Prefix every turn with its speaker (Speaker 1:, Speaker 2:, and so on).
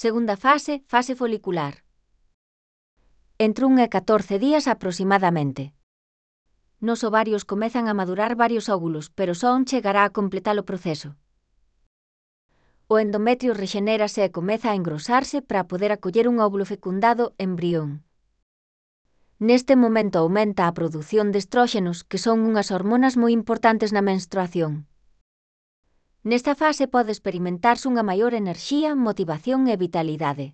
Speaker 1: Segunda fase, fase folicular. Entre 1 e 14 días aproximadamente. Nos ovarios comezan a madurar varios óvulos, pero só un chegará a completar o proceso. O endometrio rexenérase e comeza a engrosarse para poder acoller un óvulo fecundado embrión. Neste momento aumenta a produción de estróxenos, que son unhas hormonas moi importantes na menstruación. Nesta fase pode experimentarse unha maior enerxía, motivación e vitalidade.